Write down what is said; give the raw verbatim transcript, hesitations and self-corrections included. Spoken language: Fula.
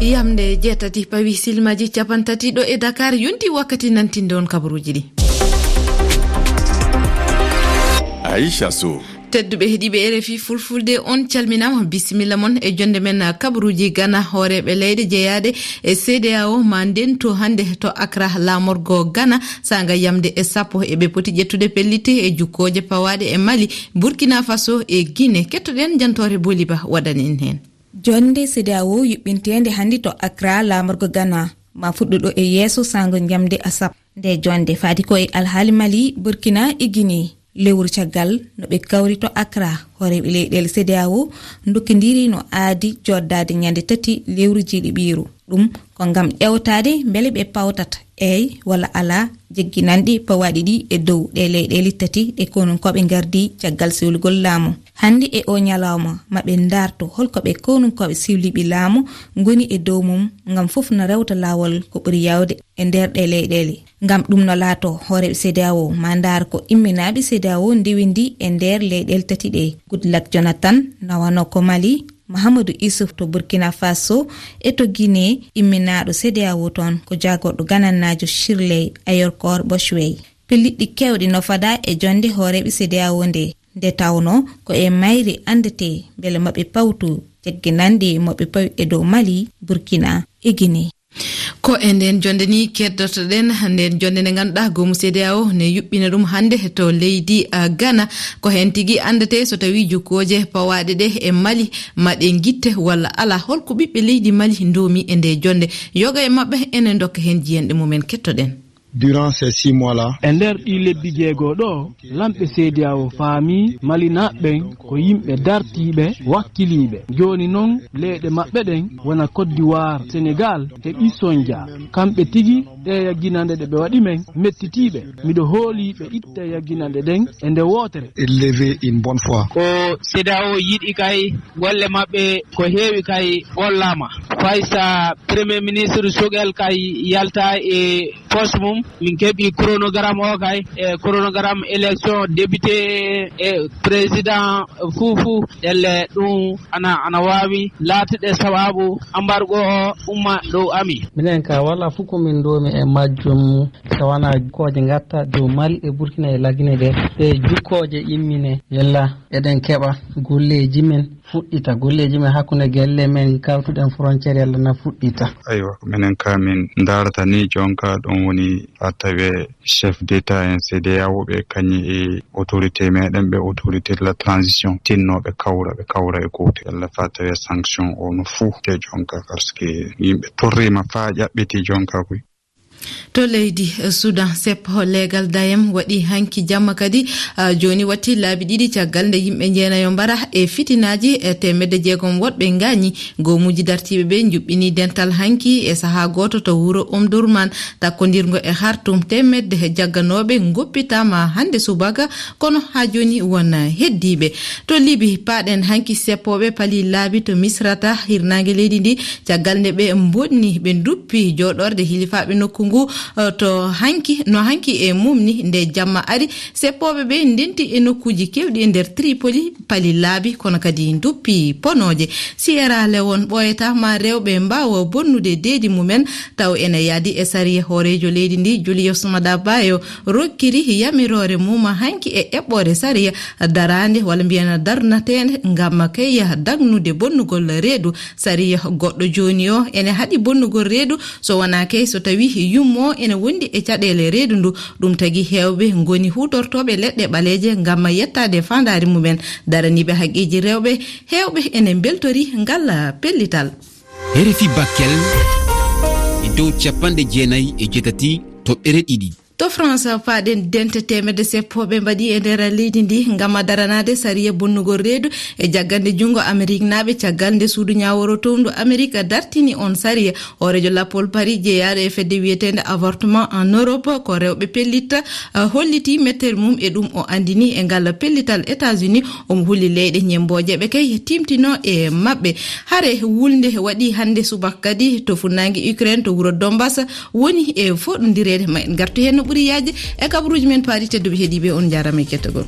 Yamde jeetati pawi silmaji capantati ɗo e Dakar, yonti wakkati nantinde on kabaruuji ɗi. Aisha Sow. Tedduɓe heɗiiɓe R F I Fulfulde, on calminaama, bisimilla mon e jonde men kabaruuji Ghana. Hooreeɓe leyɗe jeyaaɗe e C D A O ma ndento hannde to Accra, laamorgo Ghana, saanga yamde e sappo. Eɓe poti ƴettude pellitte e jukkooje pawaaɗe e Mali, Burkina Faso e Guinée. Kettoɗen jantoore Boliba waɗani en heen. Jonde C D A O yuɓɓinteende hannde to Accra, laamorgo Ghana, ma fuɗɗo ɗo e yeeso saango njamde asap. Nde jonde faati ko e alhaali Mali, Burkina e Guinée. Lewru caggal no ɓe kawri to Accra, hooreeɓe leyɗeele C D A O ndokkindiri no aadi joddaade ñande tati lewru jiiɗi ɓiiru. Ɗum ko ngam ƴeewtaade mbele ɓe pawtat eey walla alaa jegginanɗi pawaaɗi ɗi e dow ɗe leyɗeele tati ɗe konunkooɓe ngardi caggal sewlugol laamu. Hannde e o ñalawma, ma ɓe ndaarto holko ɓe konunkooɓe sewliiɓe laamu ngoni e dow mum, ngam fof na rewta laawol ko ɓuri yaawde e nder ɗe leyɗeele. Ngam ɗum no laato, hooreeɓe C D A O ma ndaar ko imminaaɓe C D A O ndewindi e nder leyɗeele tati ɗe. Goodluck Jonathan, nawano ko Mali, Mahamadou Issouf to Burkina Faso e to Guinée, imminaaɗo C D A O toon ko jaagorɗo ganannaajo Shirley Ayorkor Boswey. Pelliɗɗi keewɗi no fadaa e jonde hooreeɓe C D A O nde, nde tawnoo ko e mayri anndetee mbele maɓɓe pawtu jagginande maɓɓe pawi e dow Mali, Burkina e Guinée. Ko e nden jonde ni keddotoɗen, nden jonde nde ngannduɗaa goomu C D A O ne yuɓɓina ɗum hannde to leydi, ah, Ghana. Ko heen tigi anndetee so tawii jukkooje pawaaɗe ɗe e Mali ma ɗe ngitte walla alaa. Holko ɓiɓɓe leydi Mali ndoomi e nde jonde? Yoga e maɓɓe ene ndokka heen jiyanɗe mumen, kettoɗen. Durant ces six mois là. E nder ɗii lebbi jeego ɗo, lamɓe C D A O faami Malinaaɓe ɓen ko yimɓe dartiiɓe, wakkiliiɓe. Jooni non, leyɗe maɓɓe ɗen wona Côte d'Ivoire, Sénégal e Isonja. Kamɓe tigi, ɗe yagginande ɗe ɓe waɗi men, mettitiiɓe. Miɗo hooli ɓe itta yagginande ɗen e nde wootere. Élevé une bonne fois. Ko C D A O yiɗi kay golle maɓɓe ko heewi kay gollaama. Faysa Premier Ministre Sogel kay yalta e poste mum. Min keɓi chronogramme o kay, e chronogramme élection député e président fuu fuu. Ɗelle ɗum ana, ana waawi laatude sababu embargo o umma dow amin. Minen ka wala fof ko min ndoomi e majjum, so wonaa jukkooje ngatta dow Mali e Burkina e Lagine ɗe. Ɗe jukkooje immine, yalla eɗen keɓa golleeji men fuɗɗita, golleeji men hakkunde gelle men kawtuɗen frontière yalla na fuɗɗita. Aywa, minen ka min ndaarata ni jonka ɗum woni a tawe chef d'État en C D A O ɓe kañi e autorité meɗen ɓe autorité de la transition tinno ɓe kawra, ɓe kawra e gooto. Yalla fa tawe sanction o no fuu te jonka parce que yimɓe torrima fa ƴaɓɓiti jonka koy. To leydi, eh, Sudan, seppo leegal dayam waɗi hanki jamma kadi, ah, jooni watti laabi ɗiɗi caggal nde yimɓe jeenayo mbara e fitinaaji, e teemedde jeegom woɗɓe ngaañi. Goomuuji dartiiɓe ɓe njuɓɓini dental hanki e sahaa gooto to wuro Omdurman, takkondirngo e Khartoum. Teemedde jagganooɓe ngoppitaama hannde subaka, kono haa jooni won heddiiɓe. To Libi, paaɗen hanki seppooɓe palii laabi to Misrata, hirnaange leydi ndi, caggal nde ɓe mbonni, ɓe nduppi jooɗorde hilifaaɓe nokku ngu, eh, to hanki, no hanki e mum ni, nde jamma ari, seppooɓe ɓe ndenti e nokkuuji keewɗi e nder Tripoli, pali laabi, kono kadi nduppi ponooje. Sierra Leone ɓooyata ma rewɓe mbaawa bonnude deedi mumen, taw ene yaadi e sariya. Hooreejo leydi ndi, Julius Maada Bio, rokkiri yamiroore mum hanki e eɓɓoore sariya daraande, walla mbiyen darnateende, ngam kay dagnude bonnugol reedu. Sariya goɗɗo jooni o ene haɗi bonnugol reedu, so wonaa kay so tawii yummo ene wondi e caɗeele reedu ndu. Ɗum tagi heewɓe ngoni huutortooɓe leɗɗe ɓaleeje ngam yettaade faandaare mumen. Daraniiɓe haqqeeji rewɓe heewɓe ene mbeltori ngal pellital. R F I Bakel e dow capanɗe jeenayi e jeetati toɓɓere ɗiɗi. To France, paaɗen dente teemedde seppooɓe mbaɗi e nder leydi ndi ngam daranaade sariya bonnugol reedu e jaggande junngo Ameriknaaɓe, caggal nde suudu ñaaworo towndu Amerik dartini on sariya. Hooreejo lappol Paris jeyaaɗo e fedde wiyeteende Avortement en Europe, ko rewɓe pellitta, ah, holliti mettere mum e ɗum o anndini e ngal pellital États-Unis. Omo huli leyɗe ñemmbooje ɓe kay timtino e maɓɓe. Hare wulnde waɗi hannde subaka kadi to funnaange Ukraine, to wuro Donbas, woni e foɗondireede. Ma en ngartu heen no ɓuri yaajde e kabaruuji men paaɗi. Tedduɓe heɗiiɓe, on njaaraama e kettagol.